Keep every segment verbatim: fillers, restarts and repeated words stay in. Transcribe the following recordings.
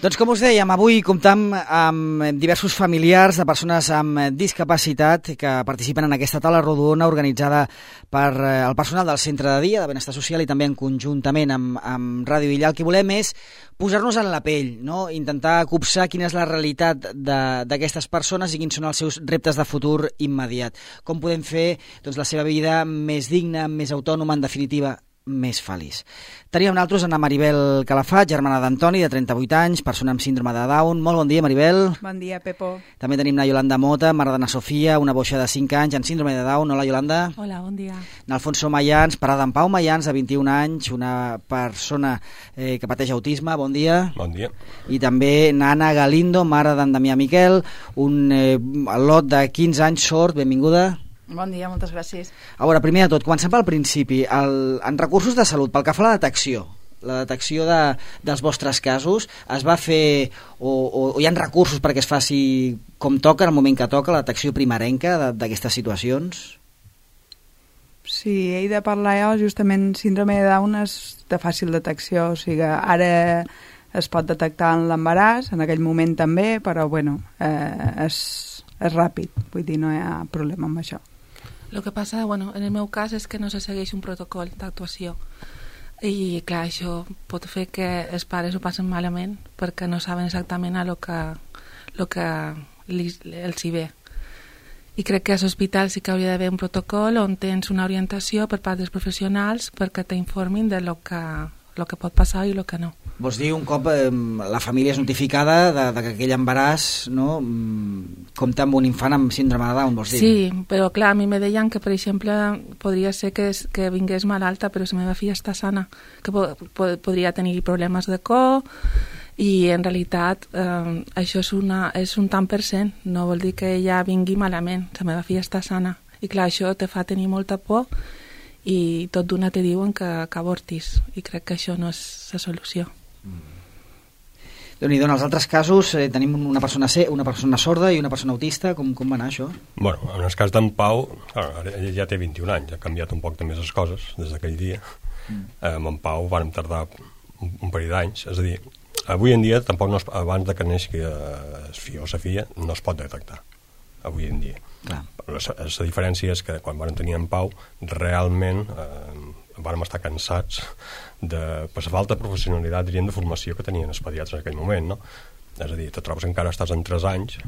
Doncs com us dèiem, avui comptam amb diversos familiars de persones amb discapacitat que participen en aquesta taula rodona organitzada per el personal del Centre de Dia de Benestar Social i també en conjuntament amb, amb Ràdio Illa. El que volem és posar-nos en la pell, no? Intentar copsar quina és la realitat d'aquestes persones i quins són els seus reptes de futur immediat. Com podem fer doncs, la seva vida més digna, més autònoma, en definitiva, més feliç. Teníem nosaltres Anna Maribel Calafat, germana d'Antoni, de trenta-vuit anys, persona amb síndrome de Down. Molt bon dia, Maribel. Bon dia, Pepo. També tenim la Yolanda Mota, mare d'Anna Sofia, una boixa de cinc anys amb síndrome de Down. Hola, Yolanda. Hola, bon dia. Alfonso Mayans, pare d'en Pau Mayans, de vint-i-un anys, una persona eh, que pateix autisme. Bon dia. Bon dia. I també Nana Galindo, mare d'en Damià Miquel, un eh, lot de quinze anys sord. Benvinguda. Bon dia, moltes gràcies. A veure, primer de tot, comencem pel principi. El, en recursos de salut, pel que fa a la detecció, la detecció de, dels vostres casos, es va fer, o, o, o hi ha recursos perquè es faci com toca, en el moment que toca, la detecció primerenca d'aquestes situacions? Sí, he de parlar jo, justament síndrome de Down és de fàcil detecció, o sigui, ara es pot detectar en l'embaràs, en aquell moment també, però bueno, eh, és, és ràpid, vull dir, no hi ha problema amb això. El que passa, bueno, en el meu cas és que no se segueix un protocol d'actuació i clar, això pot fer que els pares ho passen malament perquè no saben exactament a lo que, lo que li, els hi ve. I crec que a l'hospital sí que hauria d'haver un protocol on tens una orientació per part dels professionals perquè t'informin de lo que, lo que pot passar i lo que no. Vols dir, un cop eh, la família és notificada de, de que aquell embaràs, no, compta amb un infant amb síndrome de Down, vols dir? Sí, però clar, a mi me deien que, per exemple, podria ser que, que vingués malalta, però la meva filla està sana, que po po podria tenir problemes de cor, i en realitat eh, això és, una, és un tant per cent, no vol dir que ella vingui malament, la meva filla està sana, i clar, això te fa tenir molta por, i tot d'una te diuen que, que avortis, i crec que això no és la solució. Mm. Déu-n'hi-do, en els altres casos eh, tenim una persona, C, una persona sorda i una persona autista. Com, com va anar això? Bueno, en el cas d'en Pau, ara ell ja té vint-i-un anys, ha canviat un poc també les coses des d'aquell dia. Mm. Eh, amb en Pau vàrem tardar un, un parell d'anys, és a dir, avui en dia, tampoc no es, abans de que neixi el fill o la filla, no es pot detectar, avui en dia. Clar. La, la diferència és que quan vam tenir en Pau, realment eh, vam estar cansats de, per la falta de professionalitat, diríem, de formació que tenien els pediatres en aquell moment, no? És a dir, te trobes encara estàs en tres anys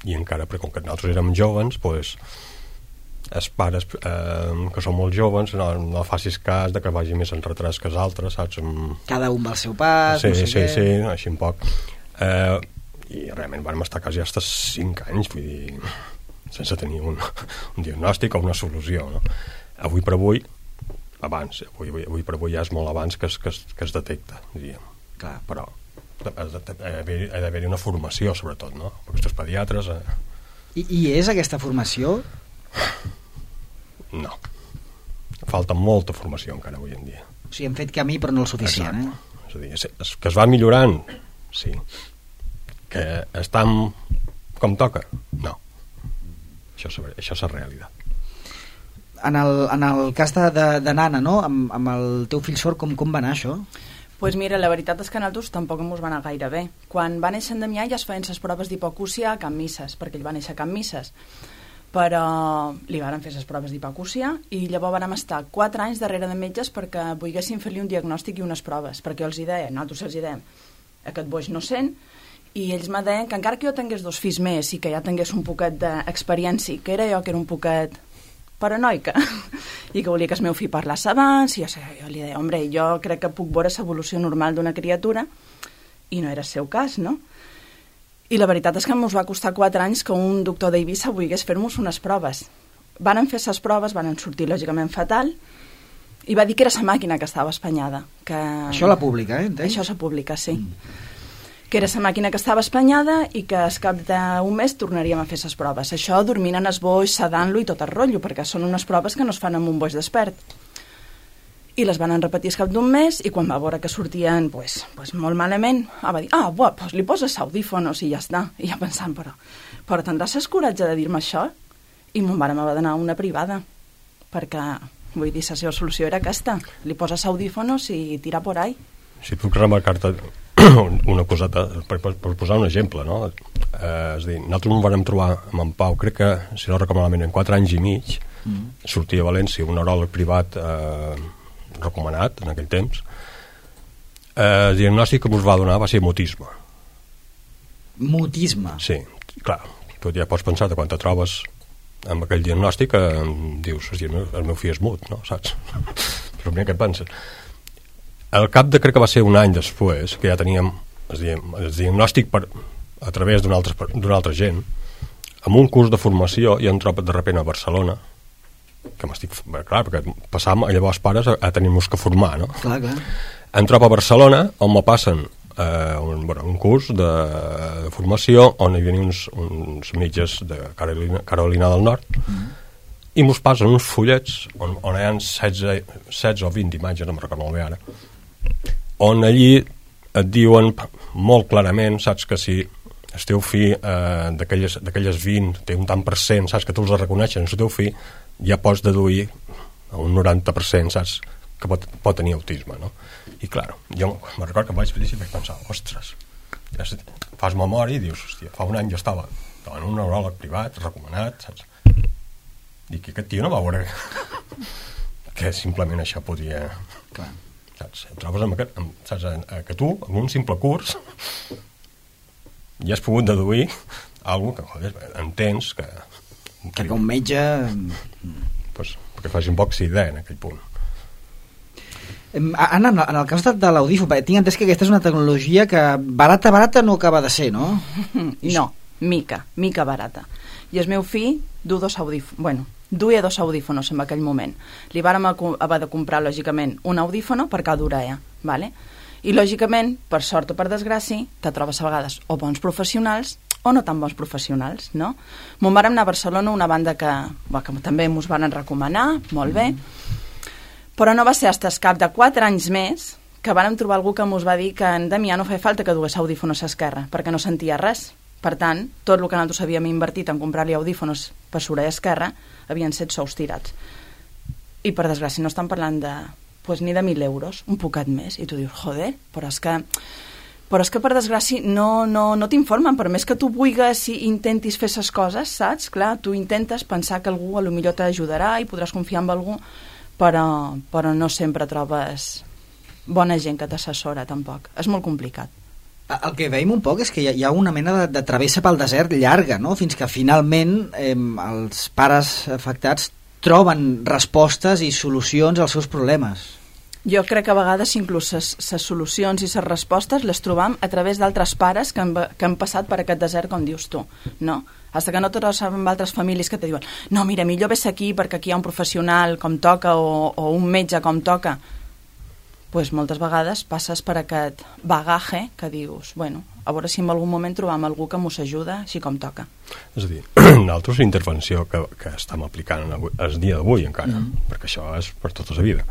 i encara, perquè com que nosaltres érem joves, pues, els pares eh, que són molt joves no, no facis cas de que vagi més en retras que els altres, saps? Cada un va al seu pas, sí, no sé sí, què. Sí, així un poc. Eh, I realment vam estar quasi fins cinc anys, vull dir, sense tenir un, un diagnòstic o una solució, no? Avui per avui, abans, avui, avui per avui ja és molt abans que es, que es, que es detecta, diríem. Clar, però ha d'haver-hi una formació, sobretot, no? Perquè aquests pediatres... Eh... I, I és aquesta formació? No. Falta molta formació encara avui en dia. O sigui, hem fet camí però no el suficient, exacte. Eh? És a dir, és, que es va millorant, sí. Que estan com toca, no. Això és, això és la realitat. En el, en el cas de, de, de Nana, no? Amb, amb el teu fill sord, com, com va anar això? Doncs pues mira, la veritat és que a nosaltres tampoc ens va anar gaire bé. Quan va néixer en Damià ja es feien les proves d'hipocúcia a Can Misses, perquè ell va néixer a Can Misses. Però li varen fer les proves d'hipocúcia i llavors vàrem estar quatre anys darrere de metges perquè volguessin fer-li un diagnòstic i unes proves, perquè jo els hi deia, nosaltres els hi dèiem, aquest boix no sent, i ells me deien que encara que jo tingués dos fills més i que ja tingués un poquet d'experiència, que era jo que era un poquet paranoica i que volia que el meu fill parlés abans i jo, jo li deia, hombre, jo crec que puc veure l'evolució normal d'una criatura i no era el seu cas, no? I la veritat és que ens va costar quatre anys que un doctor d'Eivissa volgués fer-nos unes proves. Varen fer les proves, van sortir lògicament fatal i va dir que era la màquina que estava espanyada. Que... Això a la pública, eh? Entens? Això és a pública, sí. Mm. Que era la màquina que estava espanyada i que al cap d'un mes tornaríem a fer les proves. Això dormint en el boix, sedant-lo i tot el rotllo, perquè són unes proves que no es fan amb un boix despert. I les van repetir al cap d'un mes i quan va veure que sortien pues, pues molt malament, va dir, ah, buah, pues li poses audífonos i ja està. I ja pensant, però, però tindràs el coratge de dir-me això? I mon mare me va donar una privada, perquè, vull dir, la seva solució era aquesta, li poses audífonos i tira por ahí. si puc remarcar-te una coseta, per, per, per posar un exemple, no? Eh, és a dir, nosaltres ens vam trobar amb en Pau, crec que, si no recordo malament, en quatre anys i mig, mm. sortia a València un neuròleg privat eh, recomanat en aquell temps. Eh, el diagnòstic que ens va donar va ser mutisme. Mutisme? Sí, clar, tu ja pots pensar de quan te trobes amb aquell diagnòstic que eh, dius, el meu, el meu fill és mut, no? Saps? Però primer què et penses? Al cap de, crec que va ser un any després, que ja teníem el diagnòstic per, a través d'una altra, d'una altra gent, amb un curs de formació, i em trobo de repent a Barcelona, que m'estic... Clar, perquè passàvem llavors pares a, a tenir-nos que formar, no? Clar, clar. Em trobo a Barcelona, on me passen eh, un, bueno, un curs de, de formació, on hi havia uns, uns metges de Carolina, Carolina del Nord, mm. i mos passen uns fullets on, on hi ha setze, setze o vint imatges, no me'n recordo molt bé ara, on allí et diuen molt clarament, saps, que si el teu fill eh, d'aquelles vint té un tant per cent, saps, que tu els reconeixen el teu fill, ja pots deduir a un noranta per cent, saps, que pot, pot tenir autisme, no? I clar, jo me'n recordo que em vaig fer i vaig pensar, ostres, ja fas memòria i dius, hòstia, fa un any jo estava en un neuròleg privat, recomanat, saps? I que aquest tio no va veure que simplement això podia... Clar. Saps? Et trobes amb aquest, amb, saps, que tu, amb un simple curs, ja has pogut deduir alguna que, joder, entens que... Que un metge... Pues, perquè faci un poc idea en aquell punt. Anna, en el cas de l'audífon, tinc entès que aquesta és una tecnologia que barata, barata no acaba de ser, no? No, mica, mica barata. I el meu fill du dos audífons, bueno, duia dos audífonos en aquell moment. Li vàrem haver de comprar, lògicament, un audífono per cada orella, ¿vale? I, lògicament, per sort o per desgràcia, te trobes a vegades o bons professionals o no tan bons professionals, no? Me'n vàrem anar a Barcelona, una banda que, bueno, que també ens van recomanar, molt bé, però no va ser fins al cap de quatre anys més que vàrem trobar algú que ens va dir que en Damià no feia falta que dugués audífonos a esquerra, perquè no sentia res. Per tant, tot el que nosaltres havíem invertit en comprar-li audífonos per l'orella esquerra havien set sous tirats. I, per desgràcia, no estan parlant de, pues, ni de mil euros, un poquet més. I tu dius, joder, però és que, però és que per desgràcia, no, no, no t'informen. Per més que tu vulguis i intentis fer les coses, saps? Clar, tu intentes pensar que algú a lo millor t'ajudarà i podràs confiar en algú, però, però no sempre trobes bona gent que t'assessora, tampoc. És molt complicat. El que veiem un poc és que hi ha una mena de, de travessa pel desert llarga, no? Fins que finalment eh, els pares afectats troben respostes i solucions als seus problemes. Jo crec que a vegades inclús les solucions i les respostes les trobam a través d'altres pares que han, que han passat per aquest desert, com dius tu, no? Hasta que no te trobes amb altres famílies que te diuen no, mira, millor ves aquí perquè aquí hi ha un professional com toca o, o un metge com toca. Pues moltes vegades passes per aquest bagaje que dius, bueno, a veure si en algun moment trobam algú que mos ajuda així com toca. És a dir, nosaltres la intervenció que, que estem aplicant el dia d'avui encara, mm. perquè això és per tota la vida,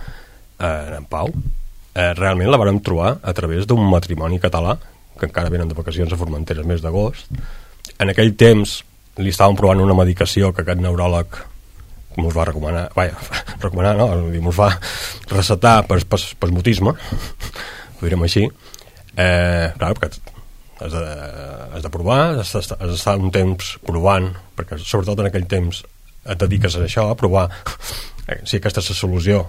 eh, en Pau, eh, realment la vàrem trobar a través d'un matrimoni català, que encara venen de vacacions a Formentera el mes d'agost. En aquell temps li estàvem provant una medicació que aquest neuròleg ens va recomanar, vaja, recomanar, no? Ens va recetar per, per, per mutisme, ho direm així. Eh, clar, perquè has de, has de provar, has d'estar un temps provant, perquè sobretot en aquell temps et dediques a això, a provar eh, si aquesta és la solució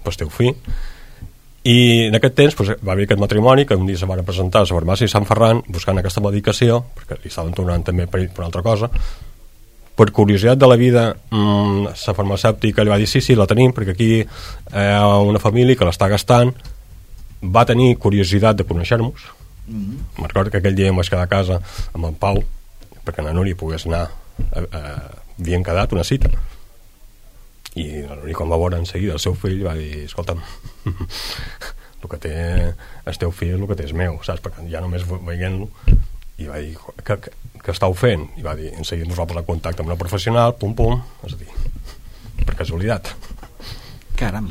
pel teu fill. I en aquest temps pues, va haver aquest matrimoni que un dia se van presentar a la farmàcia de Sant Ferran buscant aquesta medicació, perquè li estaven tornant també per, per una altra cosa. Per curiositat de la vida, mmm, la farmacèutica li va dir sí, sí, la tenim, perquè aquí hi ha una família que l'està gastant. Va tenir curiositat de conèixer-nos. Mm-hmm. Me'n recordo que aquell dia em vaig quedar a casa amb en Pau, perquè la Núria pogués anar, a, a, havien quedat una cita. I la Núria, quan va veure en seguida el seu fill, va dir, escolta'm, el que té el teu fill és el que té és meu, saps? Perquè ja només veient-lo, i va dir, que, que, que estàu fent? I va dir, en seguida ens va posar en contacte amb una professional, pum pum, és a dir, per casualitat. Caram.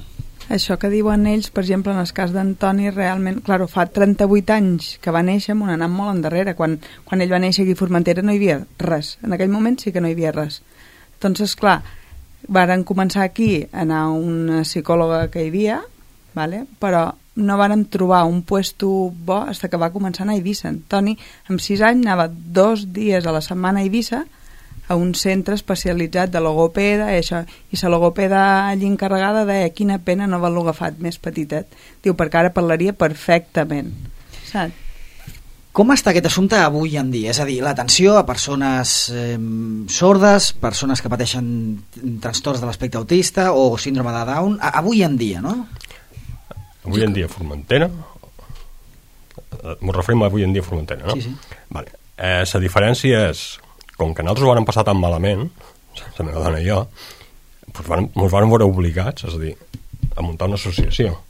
Això que diuen ells, per exemple, en el cas d'Antoni, realment, clar, fa trenta-vuit anys que va néixer, m'ho han anat molt endarrere. Quan, quan ell va néixer aquí a Formentera no hi havia res. En aquell moment sí que no hi havia res. Doncs, esclar, varen començar aquí a anar a una psicòloga que hi havia, vale? Però no vàrem trobar un puesto bo fins que va començar a anar a Eivissa. En Toni, amb sis anys, anava dos dies a la setmana a Eivissa a un centre especialitzat de logopeda, i això, i la logopeda allí encarregada deia quina pena no haver-lo agafat més petitet. Diu, perquè ara parlaria perfectament. Saps? Com està aquest assumpte avui en dia? És a dir, l'atenció a persones eh, sordes, persones que pateixen trastorns de l'espectre autista o síndrome de Down, a, avui en dia, no? Avui en dia Formentera, m'ho referim a avui en dia Formentera, no? Sí, sí. Vale. Eh, la diferència és, com que nosaltres ho vam passar tan malament, la meva dona i jo, doncs ens vam veure obligats, és a dir, a muntar una associació,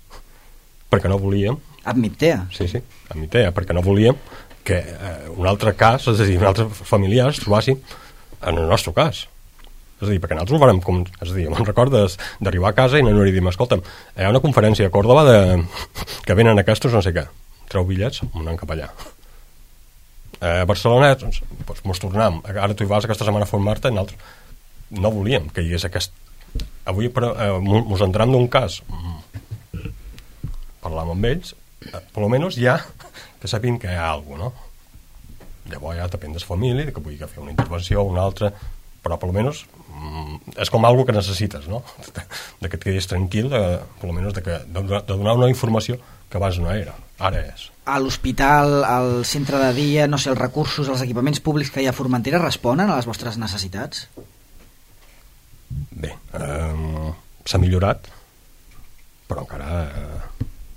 perquè no volíem... Admitea. Sí, sí, admitea, perquè no volíem que eh, un altre cas, és a dir, un altre familiar es trobassi en el nostre cas. És a dir, perquè nosaltres ho farem com... És a dir, me'n recordes d'arribar a casa i no hi dir, escolta'm, hi ha una conferència a Còrdova de... que venen aquests no sé què. Treu bitllets, anem cap allà. A Barcelona, doncs, doncs mos tornem. Ara tu hi vas aquesta setmana a formar-te i nosaltres no volíem que hi hagués aquest... Avui, però, eh, mos entrem d'un cas. Parlam amb ells, eh, per almenys ja que sapin que hi ha alguna cosa, no? Llavors ja depèn de la família, que pugui fer una intervenció o una altra, però per almenys és com algo que necessites, no? De que et quedis tranquil, de, per almenys de, que, de, de donar una informació que abans no era, ara és. A l'hospital, al centre de dia, no sé, els recursos, els equipaments públics que hi ha a Formentera responen a les vostres necessitats? Bé, eh, s'ha millorat, però encara eh,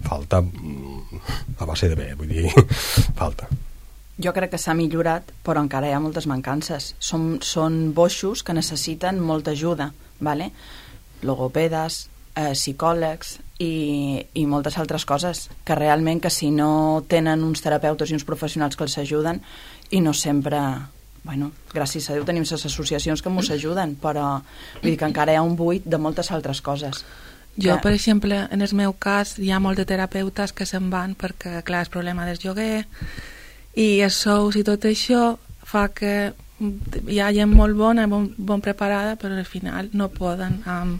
falta a base de bé, vull dir, falta. Jo crec que s'ha millorat, però encara hi ha moltes mancances. Són, són boixos que necessiten molta ajuda, ¿vale? Logopedes, eh, psicòlegs i, i moltes altres coses, que realment que si no tenen uns terapeutes i uns professionals que els ajuden, i no sempre... Bueno, gràcies a Déu tenim les associacions que ens ajuden, però vull dir que encara hi ha un buit de moltes altres coses. Jo, per exemple, en el meu cas, hi ha molts de terapeutes que se'n van perquè, clar, el problema del lloguer i els sous i tot això fa que hi ha gent molt bona, bon, bon preparada, però al final no poden amb,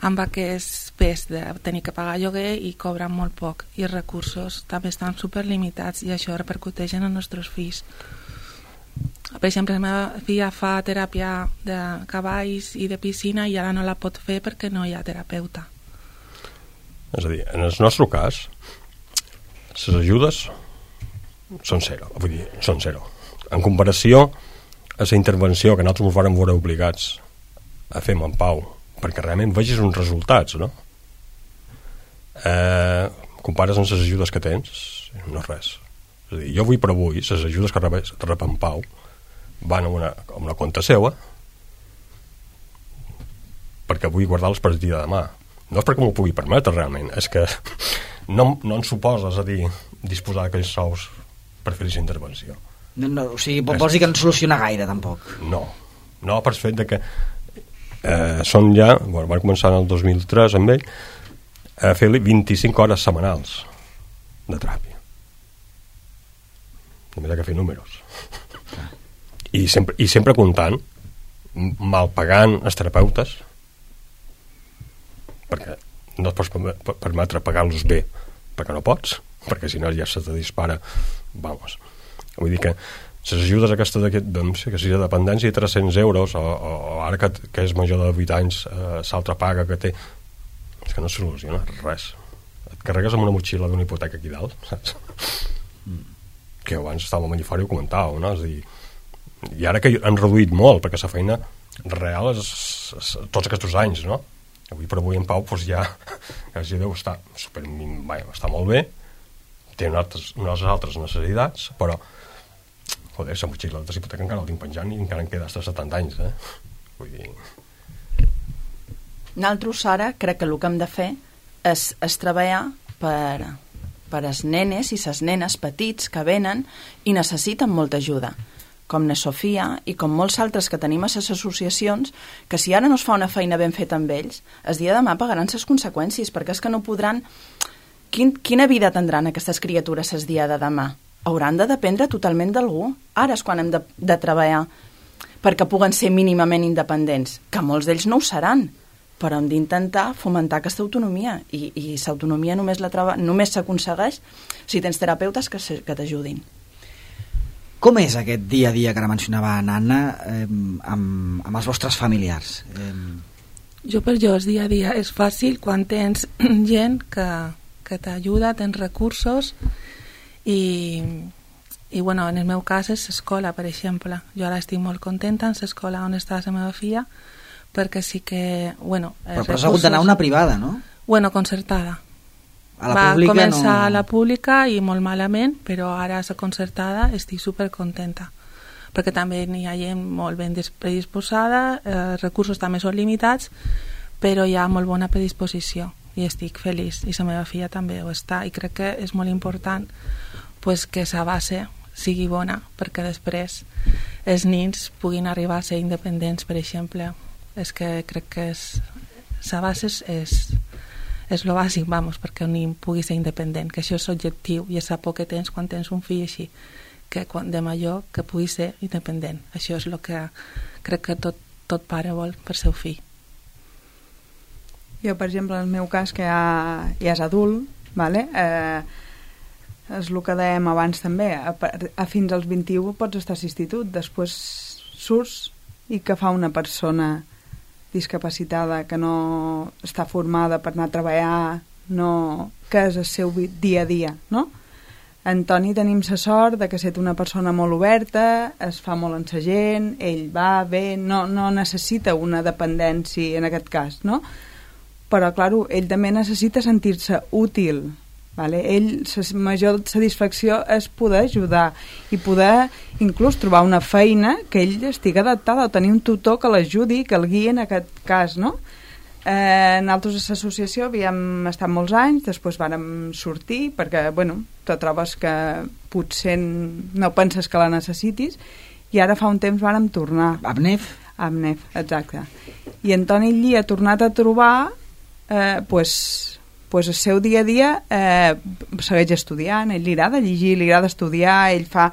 amb aquest pes de tenir que pagar lloguer i cobren molt poc. I els recursos també estan superlimitats i això repercuteix en els nostres fills. Per exemple, la meva filla fa teràpia de cavalls i de piscina i ara no la pot fer perquè no hi ha terapeuta. És a dir, en el nostre cas, les ajudes són zero, vull dir, són zero. En comparació a la intervenció que nosaltres ens vam veure obligats a fer en Pau, perquè realment vegis uns resultats, no? Eh, compares amb les ajudes que tens, no és res. És a dir, jo avui per avui, les ajudes que rep en Pau van a una, a una compte seva perquè vull guardar-los per el dia de demà. No és perquè m'ho pugui permetre realment, és que no, no ens suposa, és a dir, disposar d'aquells sous per fer aquesta intervenció. No, no, o sigui, vols dir que no soluciona gaire, tampoc? No, no per fet de que eh, són ja, bueno, van començar en el dos mil tres amb ell, a fer-li vint-i-cinc hores setmanals de teràpia. Només ha que fer números. I sempre, i sempre comptant, mal pagant els terapeutes, perquè no et pots permetre pagar-los bé, perquè no pots, perquè si no ja se te dispara, vamos. Vull dir que les ajudes aquestes d'aquest, doncs, que si de dependència tres-cents euros, o, o, o ara que, que és major de vuit anys, eh, l'altra paga que té, és que no soluciona res. Et carregues amb una motxilla d'una hipoteca aquí dalt, saps? Mm. Que abans estava a Mallifari i ho comentàveu, no? És a dir, i ara que han reduït molt, perquè la feina real és, és, és tots aquests anys, no? Avui per avui en Pau doncs ja, gràcies a Déu, està, super, bé, està molt bé, té unes, unes altres necessitats, però joder, la motxilla de hipoteca encara el tinc penjant i encara em queda fins a setanta anys, eh? Vull dir... Nosaltres ara crec que el que hem de fer és, és treballar per, per als nenes i les nenes petits que venen i necessiten molta ajuda, com na Sofia i com molts altres que tenim a les associacions, que si ara no es fa una feina ben feta amb ells, el dia de demà pagaran les conseqüències, perquè és que no podran... Quin, quina vida tindran aquestes criatures el dia de demà? Hauran de dependre totalment d'algú. Ara és quan hem de, de treballar perquè puguen ser mínimament independents, que molts d'ells no ho seran, però hem d'intentar fomentar aquesta autonomia, i, i l'autonomia només la troba, només s'aconsegueix si tens terapeutes que, se, que t'ajudin. Com és aquest dia a dia que ara mencionava Anna eh, amb, amb els vostres familiars? Eh... Jo per jo el dia a dia és fàcil quan tens gent que, que t'ajuda, tens recursos i, i bueno, en el meu cas és l'escola, per exemple. Jo ara estic molt contenta en l'escola on està la meva filla, perquè sí que, bueno... Però, però has hagut d'anar a una privada, no? Bueno, concertada. A la Va pública començar no... a la pública i molt malament, però ara a la concertada estic supercontenta, perquè també hi ha gent molt ben predisposada, eh, recursos també són limitats, però hi ha molt bona predisposició i estic feliç, i la meva filla també ho està, i crec que és molt important pues, que la base sigui bona, perquè després els nins puguin arribar a ser independents, per exemple. És que crec que és, la base és, és és el bàsic, vamos, perquè un nen pugui ser independent, que això és objectiu i és la por que tens quan tens un fill així, que quan de major que pugui ser independent. Això és el que crec que tot, tot pare vol per seu fill. Jo, per exemple, en el meu cas, que ja, ja és adult, vale? eh, és el que dèiem abans també, a, a fins als vint-i-u pots estar a l'institut, després surts i què fa una persona discapacitada que no està formada per anar a treballar, no, que és el seu dia a dia, no? En Toni tenim la sort de que ser una persona molt oberta, es fa molt amb la gent, ell va bé, no, no necessita una dependència en aquest cas, no? Però, clar, ell també necessita sentir-se útil, vale? Ell, la major satisfacció és poder ajudar i poder inclús trobar una feina que ell estigui adaptada o tenir un tutor que l'ajudi, que el guiï en aquest cas, no? Eh, nosaltres a l'associació havíem estat molts anys, després vàrem sortir perquè, bueno, te trobes que potser no penses que la necessitis i ara fa un temps vàrem tornar. Abnef? Abnef, exacte. I en Toni Lli ha tornat a trobar eh, pues, pues el seu dia a dia eh, segueix estudiant, ell li agrada llegir, li agrada estudiar, ell fa,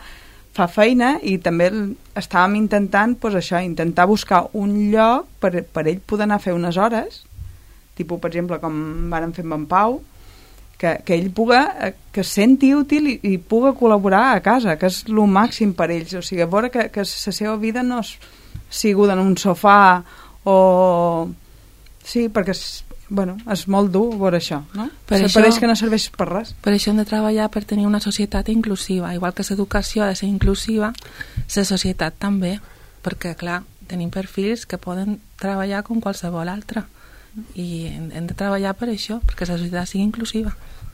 fa feina i també estàvem intentant pues, això, intentar buscar un lloc per, per ell poder anar a fer unes hores, tipus, per exemple, com vàrem fer amb en Pau, que, que ell puga, que es senti útil i, i puga col·laborar a casa, que és el màxim per ells, o sigui, a veure que, que la seva vida no és sigut en un sofà o... Sí, perquè és, bueno, és molt dur veure això, no? Per això, pareix que no serveix per res. Per això hem de treballar per tenir una societat inclusiva, igual que l'educació ha de ser inclusiva, la societat també, perquè, clar, tenim perfils que poden treballar com qualsevol altre, i hem, hem de treballar per això, perquè la societat sigui inclusiva.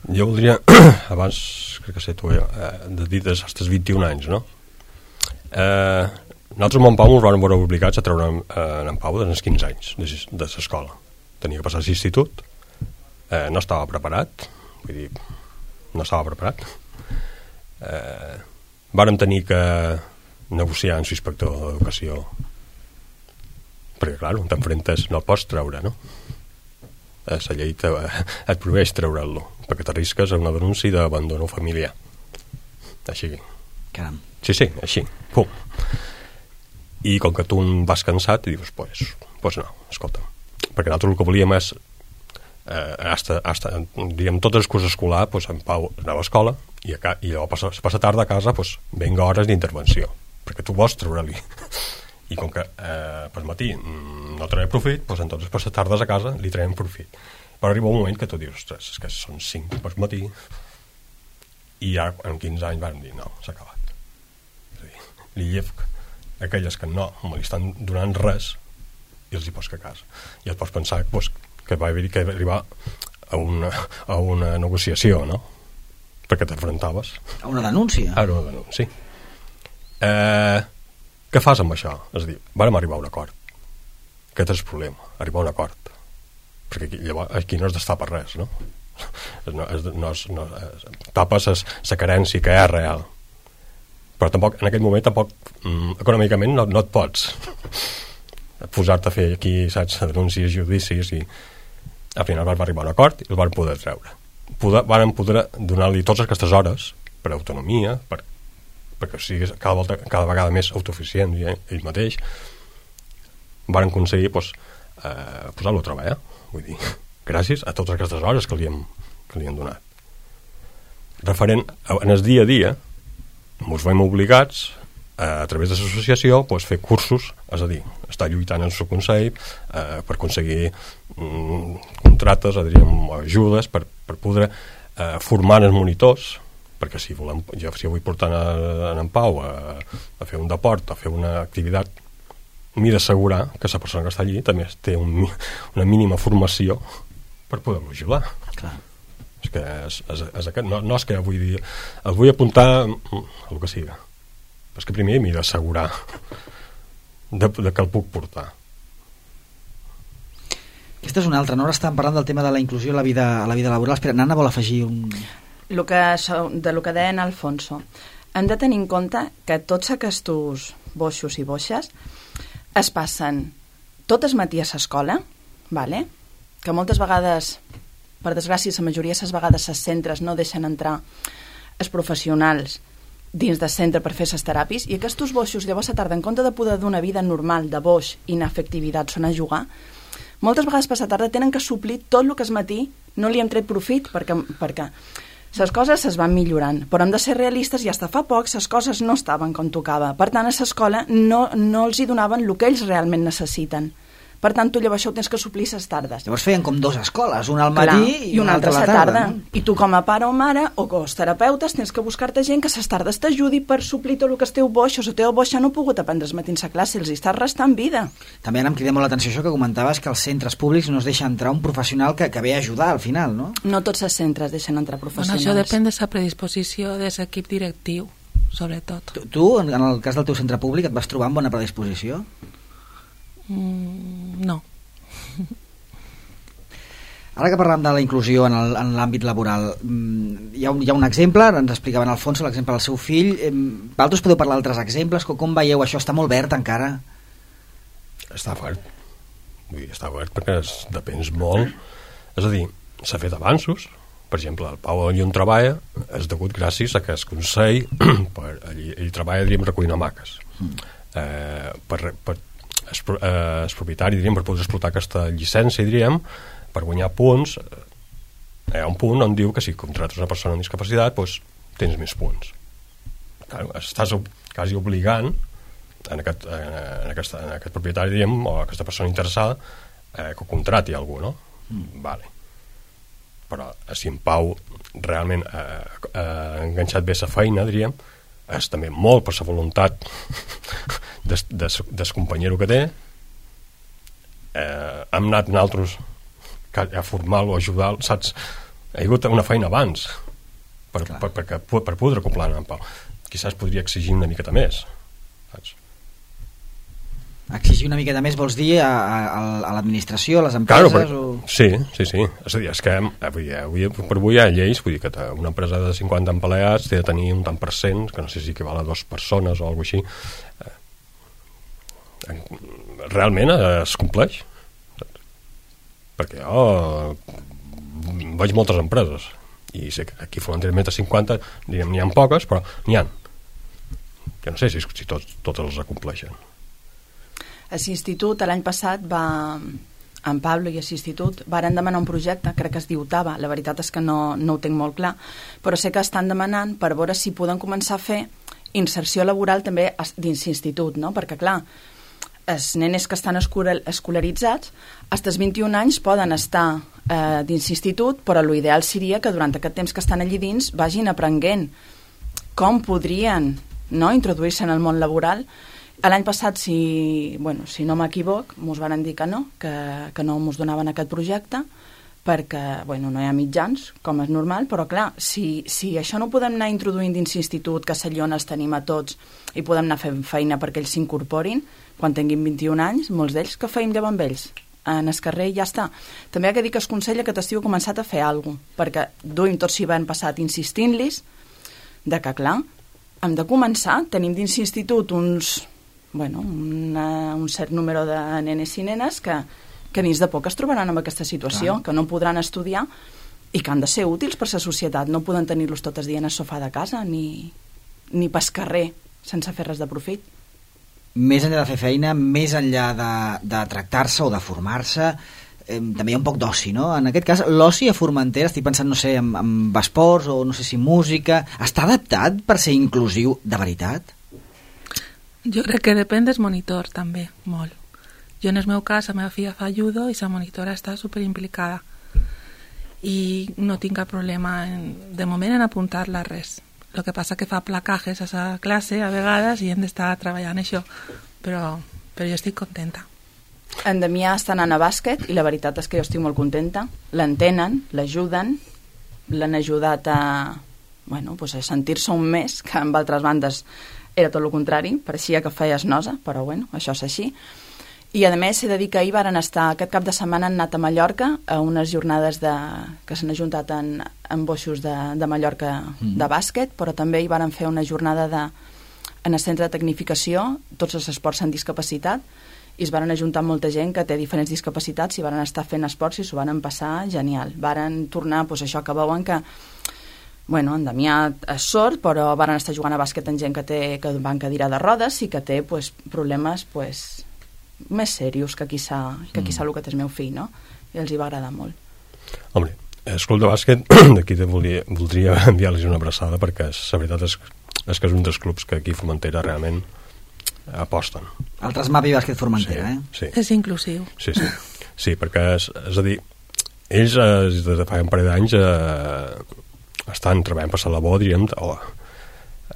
Jo voldria, abans, crec que sé tu, eh, de dir dels nostres vint-i-un anys, no? Eh, nosaltres amb en Pau ens vam veure obligats a treure eh, en Pau dels quinze anys de, de l'escola. Tenia que passar a l'institut, eh, no estava preparat, vull dir, no estava preparat. Eh, vàrem tenir que negociar amb l'inspector d'educació, perquè, clar, t'enfrentes, no el pots treure, no? La llei te, et prohibeix treure'l, perquè t'arrisques a una denúncia d'abandono familiar. Així. Caram. Sí, sí, així. Pum. I com que tu vas cansat, dius, pues, pues no, escolta. Perquè nosaltres el que volíem és eh, hasta, hasta, diguem, tot el curs escolar pues, en Pau anava a l'escola i, a, i llavors passa, passa tarda a casa pues, venga hores d'intervenció perquè tu vols treure-li i com que eh, per matí no traiem profit, pues, entonces passa tardes a casa li traiem profit, però arriba un moment que tu dius, ostres, és que són cinc per matí i ja en quinze anys vam dir, no, s'ha acabat. És a dir, li llef aquelles que no me li estan donant res i els hi pots que a casa. I et pots pensar pues, que va haver que arribar a una, a una negociació, no? Perquè t'enfrontaves. A una denúncia? A una denúncia. Eh, què fas amb això? És a dir, vàrem arribar a un acord. Aquest és el problema, arribar a un acord. Perquè aquí, llavors, aquí no has d'estar per res, no? No, és, no, és, no és, tapes la carència que és real. Però tampoc, en aquest moment, tampoc, mm, econòmicament no, no et pots posar-te a fer aquí, saps, denúncies, judicis i al final vam arribar a un acord i el vam poder treure. Poder, vam poder donar-li totes aquestes hores per autonomia, per, perquè sigui cada, volta, cada vegada més autosuficient ell mateix. Vam aconseguir pues, eh, posar-lo a treballar. Vull dir, gràcies a totes aquestes hores que li hem, que li hem donat. Referent en el dia a dia, ens veiem obligats a través de l'associació pues, fer cursos, és a dir, estar lluitant en el seu consell eh, per aconseguir mm, contractes, diríem, ajudes per, per poder eh, formar els monitors, perquè si, volem, jo, si vull portar en, en Pau a, a fer un deport, a fer una activitat, m'he d'assegurar que la persona que està allí també té un, una mínima formació per poder-lo ajudar. Clar. És que és, és, és aquest, no, no és que vull dir, el vull apuntar a el que siga. És que primer m'he d'assegurar de, de que el puc portar. Aquesta és una altra, no? Ara estàvem parlant del tema de la inclusió a la vida, a la vida laboral. Espera, Nana vol afegir un... Lo que, de lo que deia en Alfonso, hem de tenir en compte que tots aquests boixos i boixes es passen tot el matí a l'escola, vale? Que moltes vegades, per desgràcia, la majoria de les vegades els centres no deixen entrar els professionals dins del centre per fer les teràpies, i aquests boixos llavors a tarda, en compte de poder d'una vida normal de boix i inefectivitat són a jugar, moltes vegades per la tarda tenen que suplir tot el que al matí no li hem tret profit, perquè, perquè les coses es van millorant, però hem de ser realistes, i fins fa poc les coses no estaven com tocava. Per tant, a l'escola no, no els hi donaven el que ells realment necessiten. Per tant, tu llavors això ho tens que suplir les tardes. Llavors feien com dues escoles, una al matí Clar, i una altra a la tarda. tarda. No? I tu com a pare o mare o els terapeutes tens que buscar-te gent que a les tardes t'ajudi per suplir tot el que esteu boixos. El teu boix no ha pogut aprendre els matins a classe, els hi estàs restant vida. També ara em crida molt l'atenció això que comentaves, que als centres públics no es deixa entrar un professional que, que ve a ajudar al final, no? No tots els centres deixen entrar professionals. Bueno, això depèn de la predisposició de l'equip directiu, sobretot. Tu, tu, en el cas del teu centre públic, et vas trobar amb bona predisposició? Mm, no. Ara que parlem de la inclusió en l'àmbit laboral, hi ha, un, hi ha un exemple, ens explicaven Alfonso l'exemple del seu fill. Vosaltres podeu parlar d'altres exemples? Com, com veieu això? Està molt verd encara? Està verd. Vull dir, està verd perquè es depèn molt. És a dir, s'ha fet avanços. Per exemple, el Pau allí on treballa és degut gràcies a que el Consell per, ell, ell treballa, diríem, recollint hamaques. Mm. Eh, per, per el, eh, el propietari, diríem, per poder explotar aquesta llicència, diríem, per guanyar punts, hi ha un punt on diu que si contractes una persona amb discapacitat, doncs tens més punts. Clar, estàs quasi obligant en aquest, en aquest, en aquest propietari, diríem, o aquesta persona interessada, eh, que contrati algú, no? Mm. Vale. Però si en Pau realment ha eh, eh, enganxat bé la feina, diríem, és també molt per la voluntat des, des, des companyero que té. Eh, hem anat nosaltres a formar-lo, a ajudar-lo, saps? Ha hagut una feina abans per, per, per, per, per poder acoplar en Pau. Quizás podria exigir una miqueta més, saps? Exigir una miqueta més vols dir a, a, a l'administració, a les empreses? Claro, per, o... Sí, sí, sí. És a dir, és que avui, avui, per avui hi ha lleis, vull dir que una empresa de cinquanta empleats té de tenir un tant per cent, que no sé si equival a dues persones o alguna cosa així. Realment es compleix. Perquè jo veig moltes empreses i sé que aquí fonamentalment a cinquanta n'hi ha poques, però n'hi ha. Jo no sé si, si tots, tots els acompleixen. A l'Institut l'any passat va, en Pablo i a l'Institut varen demanar un projecte, crec que es diu Tava, la veritat és que no, no ho tinc molt clar, però sé que estan demanant per veure si poden començar a fer inserció laboral també dins l'Institut, no? Perquè clar, els nenes que estan escolaritzats fins als vint-i-un anys poden estar eh, dins l'Institut, però l'ideal seria que durant aquest temps que estan allí dins vagin aprenent com podrien, no, introduir-se en el món laboral. L'any passat, si, bueno, si no m'equivoc, mos van dir que no, que, que no mos donaven aquest projecte, perquè bueno, no hi ha mitjans, com és normal, però clar, si, si això no ho podem anar introduint dins l'institut, que allà on els tenim a tots, i podem anar fent feina perquè ells s'incorporin, quan tinguin vint-i-un anys, molts d'ells que feim llavors amb ells, en el carrer i ja està. També ha de dir que es consella que t'estiu començat a fer alguna cosa, perquè duim tot l'hivern passat insistint-los de que, clar, hem de començar, tenim dins l'institut uns... bueno, una, un cert número de nenes i nenes que, que dins de poc es trobaran en aquesta situació, clar, que no podran estudiar i que han de ser útils per la societat. No poden tenir-los tots els dies al sofà de casa ni, ni pas carrer sense fer res de profit. més enllà de fer feina, més enllà de, de tractar-se o de formar-se, eh, també hi ha un poc d'oci, no? En aquest cas, l'oci a Formentera, estic pensant, no sé, en, en esports o no sé si música, està adaptat per ser inclusiu de veritat? Jo crec que depèn dels monitors, també, molt. Jo, en el meu cas, la meva filla fa judo i la monitora està superimplicada. I no tinc cap problema, en, de moment, en apuntar-la res. El que passa que fa placajes a la classe, a vegades, i hem d'estar treballant això. Però, però jo estic contenta. En Damià està anant a bàsquet i la veritat és que jo estic molt contenta. L'entenen, l'ajuden, l'han ajudat a, bueno, pues a sentir-se un mes, que amb altres bandes era tot el contrari, pareixia que feies nosa, però bueno, això és així. I a més, he de dir que ahir varen estar, aquest cap de setmana han anat a Mallorca a unes jornades de, que s'han ajuntat en, en boixos de, de Mallorca mm. de bàsquet, però també hi varen fer una jornada de, en el centre de tecnificació, tots els esports amb discapacitat, i es varen ajuntar molta gent que té diferents discapacitats i varen estar fent esports i s'ho varen passar genial. Varen tornar, doncs això que veuen que, bueno, en Damià és sord, però varen estar jugant a bàsquet amb gent que, té, que va en cadira de rodes i que té pues, problemes pues, més serios que quizà, que quizà el que té el meu fill, no? I els hi va agradar molt. Home, el club de bàsquet d'aquí te volia, voldria enviar-los una abraçada perquè és, la veritat és, és que és un dels clubs que aquí a Formentera realment aposten. El Trasmapi Bàsquet Formentera, sí, eh? Sí. És inclusiu. Sí, sí, sí, perquè és, és a dir, ells eh, des de fa un parell d'anys eh, estan treballant per la labor, diríem, o,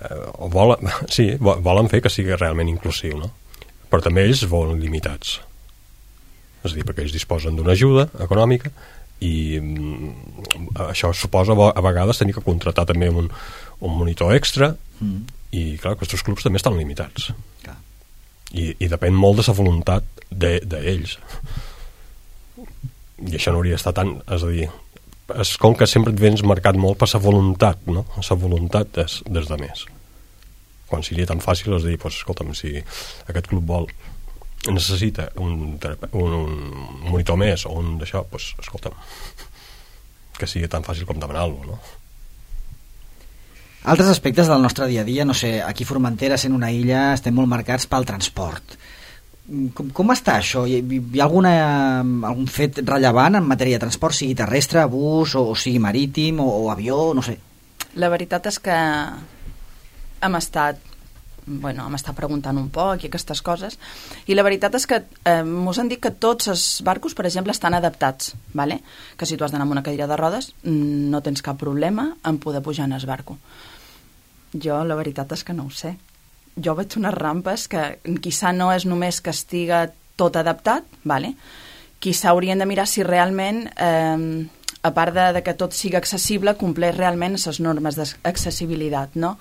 eh, o volen, sí, volen fer que sigui realment inclusiu, no? Però també ells volen limitats. És a dir, perquè ells disposen d'una ajuda econòmica i mm, això suposa a vegades tenir que contractar també un, un monitor extra mm. i clar, aquests clubs també estan limitats. Clar. I, i depèn molt de la voluntat d'ells. I això no hauria d'estar tant, és a dir, és com que sempre et vens marcat molt per la voluntat, no? La voluntat des, des de més. Quan seria tan fàcil és dir, pues, escolta'm, si aquest club vol necessita un, un, un monitor més o un d'això, pues, escolta'm, que sigui tan fàcil com demanar-lo, no? Altres aspectes del nostre dia a dia, no sé, aquí a Formentera, sent una illa, estem molt marcats pel transport. Com, com està això? Hi, hi ha alguna, algun fet rellevant en matèria de transport, sigui terrestre, bus, o, o sigui marítim, o, o avió, no sé? La veritat és que hem estat bueno, hem estat preguntant un poc i aquestes coses, i la veritat és que eh, mos han dit que tots els barcos, per exemple, estan adaptats, vale? Que si tu has d'anar amb una cadira de rodes no tens cap problema en poder pujar en el barco. Jo la veritat és que no ho sé. Jo veig unes rampes que quizà no és només que estiga tot adaptat, vale? Quizà haurien de mirar si realment eh, a part de, de que tot sigui accessible, compleix realment les normes d'accessibilitat, no?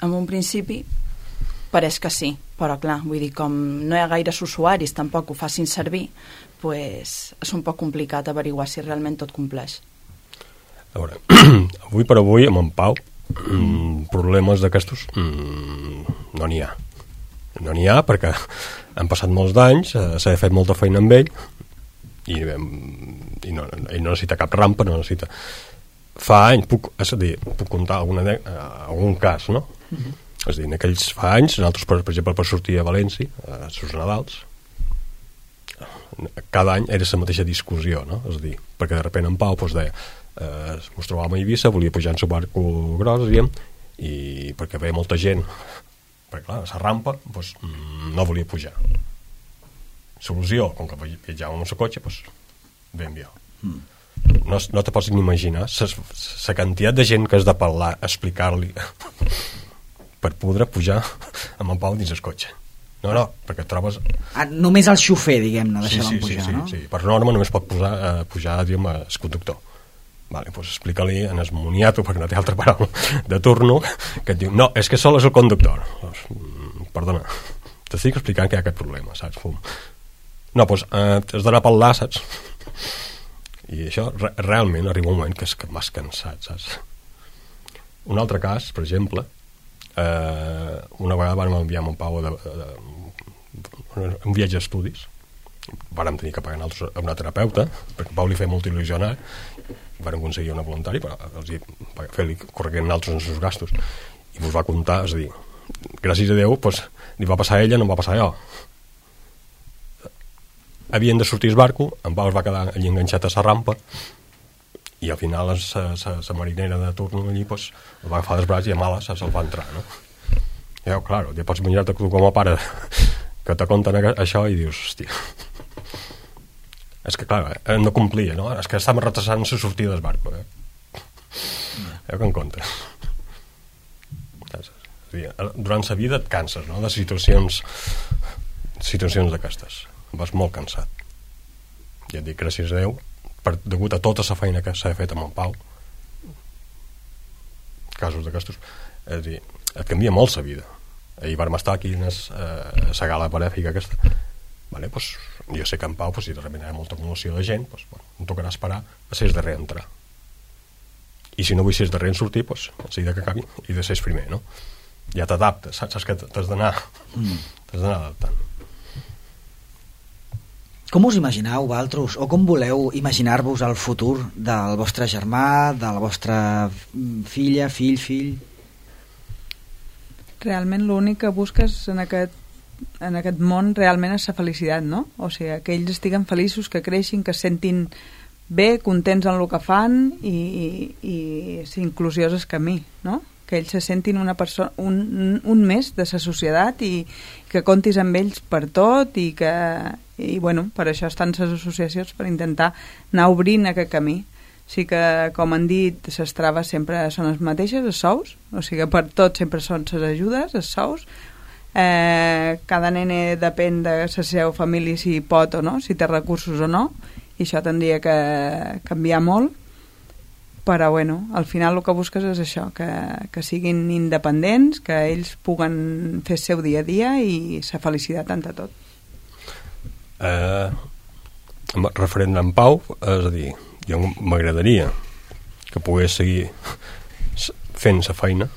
En un principi pareix que sí, però clar, vull dir, com no hi ha gaires usuaris tampoc ho facin servir, pues, és un poc complicat averiguar si realment tot compleix. A veure, avui per avui amb en Pau mm, problemes d'aquestos mm, no n'hi ha no n'hi ha perquè han passat molts d'anys, eh, s'ha fet molta feina amb ell i, i no, ell no necessita cap rampa, no necessita. Fa anys, puc, és a dir, puc contar alguna, eh, algun cas, no? Uh-huh. És a dir, en aquells fa anys, nosaltres, per, per exemple, per sortir a València, a els Nadals, cada any era la mateixa discussió, no? És a dir, perquè de sobte en Pau doncs, deia, eh, ens trobàvem a Eivissa, volia pujar en el barco gros, diguem, i perquè veia molta gent, perquè clar, la rampa doncs, no volia pujar. Solució, com que viatjàvem amb el cotxe, doncs, ben jo. Mm. No, no te pots ni imaginar la quantitat de gent que has de parlar, explicar-li per poder pujar amb en Pau dins el cotxe. No, no, perquè et trobes... Ah, només el xofer, diguem-ne, deixar-lo sí, sí, pujar, sí, no? Sí, sí, per norma només pot posar, eh, pujar, diguem, el conductor. Vale, doncs explica-li en el moniato, perquè no té altra paraula, de turno, que et diu, no, és que sol és el conductor. Doncs, perdona, t'estic explicant que hi ha aquest problema, saps? Fum. No, doncs eh, has d'anar a parlar, saps? I això re realment arriba un moment que és que m'has cansat, saps? Un altre cas, per exemple, eh, una vegada vam enviar amb en Pau de, de, de, un viatge a estudis, vàrem tenir que pagar a una terapeuta, perquè Pau li feia molt il·lusió anar, vàrem aconseguir una voluntari per fer-li corregir altres els seus gastos, i vos va comptar, és a dir, gràcies a Déu, pues, li va passar a ella, no em va passar a jo. Havien de sortir el barco, en Pau es va quedar allí enganxat a la rampa, i al final la marinera de turno allí pues, el va agafar dels braços i a males se'l va entrar, no? I jo, clar, ja pots imaginar-te tu com a pare que te conten això i dius, hòstia, és que clar, eh, no complia, no? És que estàvem retrasant la sortida del barco, eh? Ja que en compte. Durant la vida et canses, no?, de situacions situacions d'aquestes. Vas molt cansat. Ja et dic, gràcies a Déu, per, degut a tota la feina que s'ha fet amb en Pau, casos d'aquestos, és a dir, et canvia molt la vida. Ahir vam estar aquí a la gala benèfica aquesta. Vale, pues, jo sé que en Pau, pues, si de repente hi ha molta acumulació de gent, pues, bueno, em tocarà esperar a ser el darrer a entrar. I si no vull ser el darrer en sortir, pues, a seguida que acabi, he de ser el primer, no? Ja t'adaptes, saps, saps que t'has d'anar mm. t'has d'anar adaptant. Com us imagineu, vosaltres, o com voleu imaginar-vos el futur del vostre germà, de la vostra filla, fill, fill? Realment l'únic que busques en aquest, en aquest món realment és la felicitat, no? O sigui, que ells estiguen feliços, que creixin, que es sentin bé, contents en el que fan i, i, i ser inclusiós el camí, no? Que ells se sentin una persona, un, un més de la societat i que comptis amb ells per tot i que, i bueno, per això estan les associacions, per intentar anar obrint aquest camí. Sí que, com han dit, les traves sempre són les mateixes, els sous, o sigui que per tot sempre són les ajudes, els sous. Eh, cada nene depèn de la seva família si pot o no, si té recursos o no, i això tindria que canviar molt. Però bueno, al final el que busques és això, que, que siguin independents, que ells puguen fer el seu dia a dia i la felicitat ante tot. Eh, referent a en Pau, és a dir, jo m'agradaria que pogués seguir fent la feina,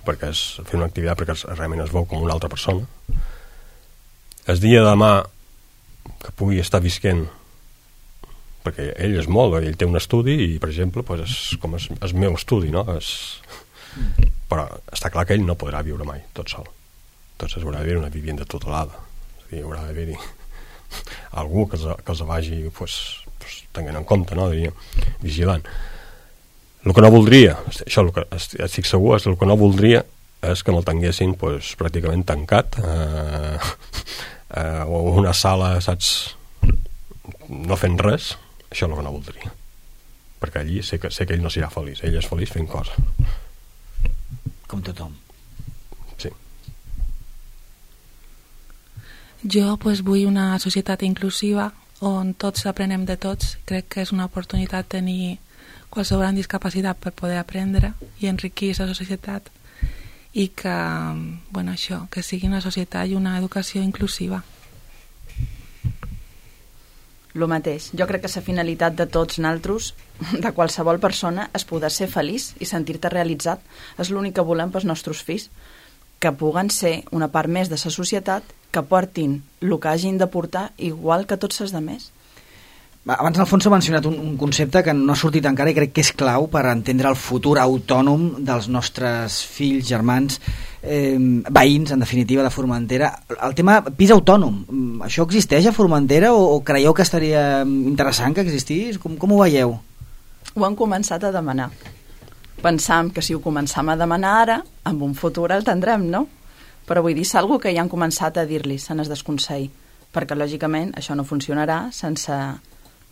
perquè és fer una activitat perquè realment es veu com una altra persona. El dia de demà que pugui estar visquent, perquè ell és molt, ell té un estudi i, per exemple, pues és com el, el meu estudi, no? És... Però està clar que ell no podrà viure mai tot sol. Entonces haurà d'haver una vivienda tutelada. És a dir, haurà d'haver-hi algú que els, que els vagi pues, pues, tenint en compte, no? Diria, vigilant. El que no voldria, això el que estic segur, és el que no voldria és que me'l tinguessin pues, pràcticament tancat eh, eh, o una sala, saps, no fent res. Això és el que no voldria, perquè allí sé que, sé que ell no serà feliç, ell és feliç fent coses com tothom. Sí. Jo pues, vull una societat inclusiva on tots aprenem de tots. Crec que és una oportunitat tenir qualsevol amb discapacitat per poder aprendre i enriquir la societat i que, bueno, això, que sigui una societat i una educació inclusiva. Lo mateix. Jo crec que la finalitat de tots naltros, de qualsevol persona, és poder ser feliç i sentir-te realitzat. És l'únic que volem pels nostres fills, que puguen ser una part més de la societat, que portin el que hagin de portar igual que tots els altres. Abans Alfonso ha mencionat un, un concepte que no ha sortit encara i crec que és clau per entendre el futur autònom dels nostres fills, germans, eh, veïns, en definitiva, de Formentera. El tema pis autònom, això existeix a Formentera o, o creieu que estaria interessant que existís? Com, com ho veieu? Ho han començat a demanar. Pensam que si ho començam a demanar ara, en un futur el tindrem, no? Però vull dir, és algo que ja han començat a dir-li, se n'és desconsell, perquè lògicament això no funcionarà sense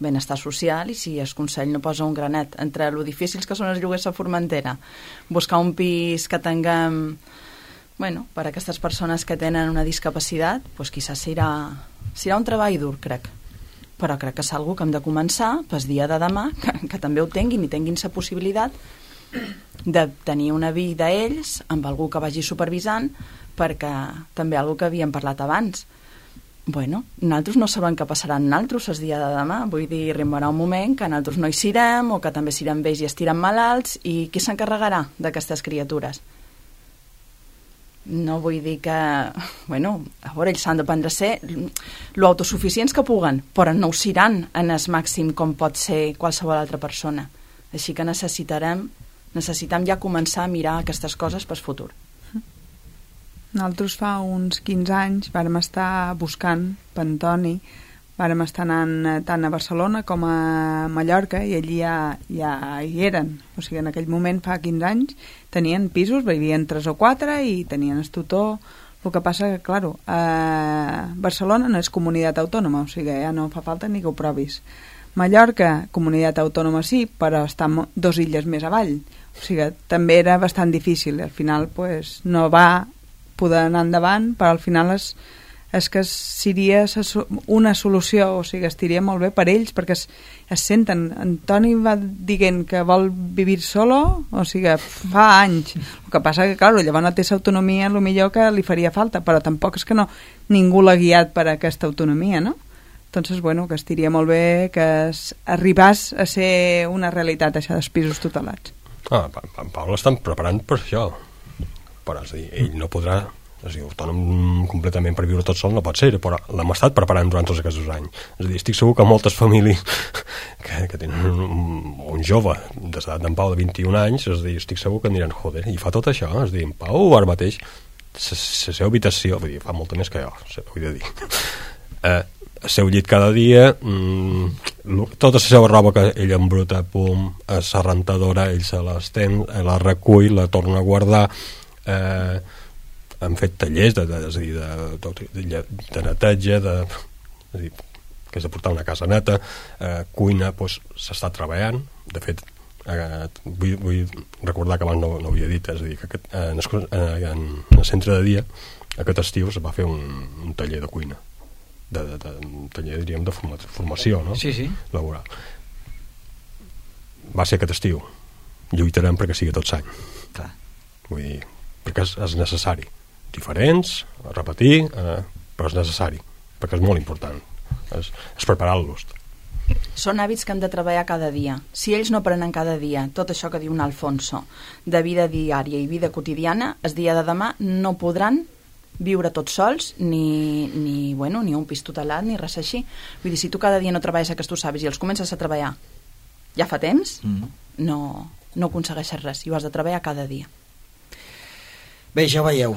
benestar social i si el Consell no posa un granet entre lo difícils que són els lloguers a Formentera, buscar un pis que tinguem, bueno, per a aquestes persones que tenen una discapacitat, doncs quizás serà, serà un treball dur, crec. Però crec que és algo que hem de començar pel dia de demà, que, que també ho tinguin i tinguin la possibilitat de tenir una vida ells amb algú que vagi supervisant, perquè també algo que havíem parlat abans. Bueno, nosaltres no sabem què passarà en nosaltres el dia de demà, vull dir, arribarà un moment que nosaltres no hi serem o que també serem vells i estirem malalts i qui s'encarregarà d'aquestes criatures? No vull dir que, bueno, a veure, ells s'han de prendre a ser lo autosuficients que puguen, però no ho seran en el màxim com pot ser qualsevol altra persona. Així que necessitarem, necessitem ja començar a mirar aquestes coses pel futur. Nosaltres fa uns quinze anys vàrem estar buscant per Antoni, vàrem estar anant tant a Barcelona com a Mallorca i allí ja, ja hi eren. O sigui, en aquell moment, fa quinze anys, tenien pisos, vivien tres o quatre i tenien el tutor. El que passa que, clar, eh, Barcelona no és comunitat autònoma, o sigui, ja no fa falta ni que ho provis. Mallorca, comunitat autònoma sí, però està dos illes més avall. O sigui, també era bastant difícil. Al final, pues, no va poder anar endavant, però al final és, és que seria una solució, o sigui, estiria molt bé per ells, perquè es, es senten. Antoni va dient que vol vivir solo, o sigui, fa anys. El que passa que, clar, llavors no té l'autonomia, el millor que li faria falta, però tampoc és que no ningú l'ha guiat per a aquesta autonomia, no? Entonces, bueno, que estiria molt bé que es, arribàs a ser una realitat, això dels pisos tutelats. Ah, en Pau l'estan preparant per això, però és a dir, ell no podrà, és a dir, autònom completament per viure tot sol no pot ser, però l'hem estat preparant durant tots aquests anys. És a dir, estic segur que moltes famílies que, que tenen un, un jove des d'en Pau de vint-i-un anys, és a dir, estic segur que aniran, joder, i fa tot això, és a dir, en Pau ara mateix la seva habitació, vull dir, fa molta més que jo, vull dir, eh, el seu llit cada dia, mmm, tota la seva roba que ell embruta, pum, a la rentadora, ell se l'estén, la recull, la torna a guardar, eh, han fet tallers de, de, de, de, de, de neteja, de, és a dir, que és de portar una casa neta, eh, cuina, doncs s'està treballant. De fet, eh, vull, vull recordar que abans no, no ho havia dit, és a dir, que aquest, eh, en, en el centre de dia aquest estiu es va fer un, un taller de cuina, de, de, de, un taller, diríem, de forma, formació, no? Sí, sí. Laboral. Va ser aquest estiu. Lluitarem perquè sigui tot l'any. Clar. Vull dir, perquè és, és necessari. Diferents, a repetir, eh, però és necessari, perquè és molt important. És, és preparar-los. Són hàbits que hem de treballar cada dia. Si ells no aprenen cada dia tot això que diu un Alfonso de vida diària i vida quotidiana, el dia de demà no podran viure tots sols ni, ni, bueno, ni un pis tutelat ni res així. Vull dir, si tu cada dia no treballes aquests hàbits i els comences a treballar ja fa temps, mm. no, no aconsegueixes res i ho has de treballar cada dia. Bé, ja ho veieu,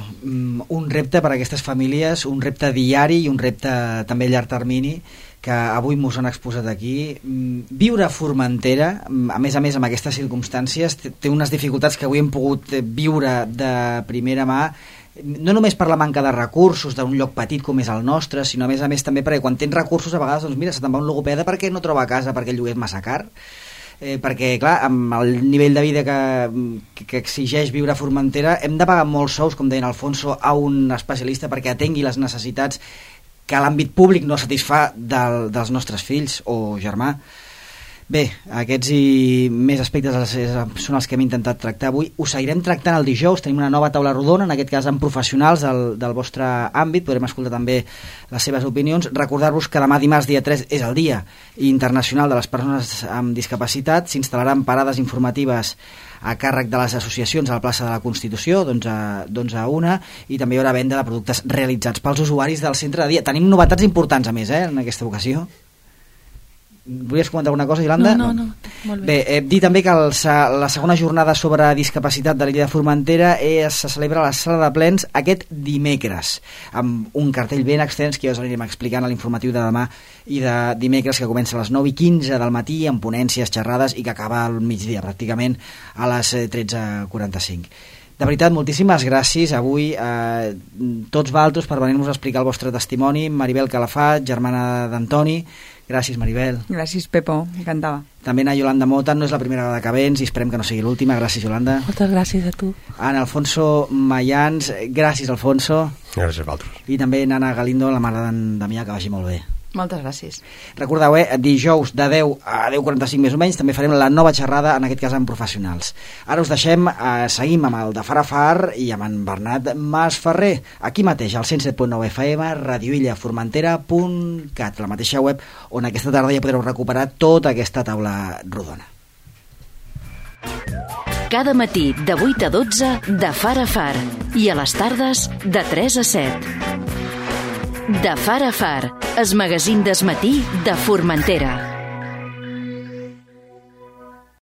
un repte per a aquestes famílies, un repte diari i un repte també a llarg termini que avui mos han exposat aquí. Viure a Formentera, a més a més amb aquestes circumstàncies, té unes dificultats que avui hem pogut viure de primera mà, no només per la manca de recursos d'un lloc petit com és el nostre, sinó a més a més també perquè quan tens recursos a vegades, doncs mira, se te'n va un logopeda perquè no troba casa, perquè el lloguer és massa car. Eh, perquè, clar, amb el nivell de vida que, que, que exigeix viure a Formentera hem de pagar molts sous, com deia Alfonso, a un especialista perquè atengui les necessitats que l'àmbit públic no satisfà del, dels nostres fills o germà. Bé, aquests i més aspectes són els que hem intentat tractar avui. Ho seguirem tractant el dijous, tenim una nova taula rodona, en aquest cas amb professionals del, del vostre àmbit, podrem escoltar també les seves opinions. Recordar-vos que demà dimarts, dia tres, és el Dia Internacional de les Persones amb Discapacitat. S'instal·laran parades informatives a càrrec de les associacions a la plaça de la Constitució, d'onze a una, i també hi haurà venda de productes realitzats pels usuaris del centre de dia. Tenim novetats importants, a més, eh, en aquesta ocasió. Volies comentar alguna cosa, Yolanda? No, no, no. Molt bé. Bé, eh, dir també que el, la segona jornada sobre discapacitat de l'illa de Formentera és, se celebra a la sala de plens aquest dimecres, amb un cartell ben extens que ja us anirem explicant a l'informatiu de demà i de dimecres, que comença a les nou i quinze del matí amb ponències, xerrades, i que acaba al migdia pràcticament a les tretze quaranta-cinc. De veritat, moltíssimes gràcies avui a tots vosaltres per venir-nos a explicar el vostre testimoni. Maribel Calafat, germana d'Antoni. Gràcies, Maribel. Gràcies, Pepo, encantada. També a Yolanda Mota, no és la primera vegada que vens i esperem que no sigui l'última. Gràcies, Yolanda. Moltes gràcies a tu. Ana Alfonso Mayans, gràcies, Alfonso. Gràcies a vosaltres. I també Nana Galindo, la mare d'en Damià, que vagi molt bé. Moltes gràcies. Recordeu, eh, dijous de deu a deu quaranta-cinc més o menys també farem la nova xerrada, en aquest cas amb professionals. Ara us deixem, eh, seguim amb el de Far a Far i amb en Bernat Masferrer, aquí mateix, al cent set punt nou F M, radioilla formentera punt cat, la mateixa web on aquesta tarda ja podreu recuperar tota aquesta taula rodona. Cada matí de vuit a dotze de Far a Far i a les tardes de tres a set. De Far a Far, el magazín del matí de Formentera.